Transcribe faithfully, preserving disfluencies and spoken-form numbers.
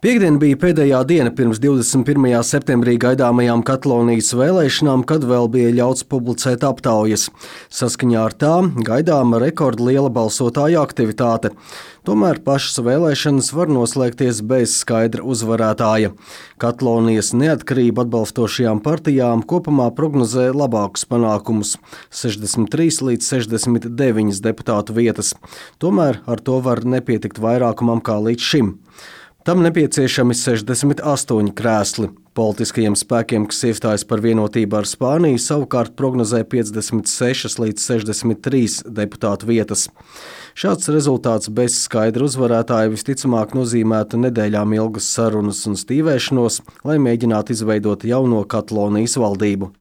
Piektdiena bija pēdējā diena pirms divdesmit pirmajā septembrī gaidāmajām Katalonijas vēlēšanām, kad vēl bija ļauts publicēt aptaujas. Saskaņā ar tām gaidāma rekordliela balsotāju aktivitāte. Tomēr pašas vēlēšanas var noslēgties bez skaidra uzvarētāja. Katalonijas neatkarību atbalstošajām partijām kopumā prognozē labākus panākumus – sešdesmit trīs līdz sešdesmit deviņas deputātu vietas. Tomēr ar to var nepietikt vairākumam kā līdz šim. Tam nepieciešami sešdesmit astoņi krēsli. Politiskajiem spēkiem, kas iestājas par vienotību ar Spāniju, savukārt prognozē piecdesmit sešas līdz sešdesmit trīs deputātu vietas. Šāds rezultāts bez skaidra uzvarētāja visticamāk nozīmētu nedēļām ilgas sarunas un stīvēšanos, lai mēģinātu izveidot jauno Katalonijas valdību.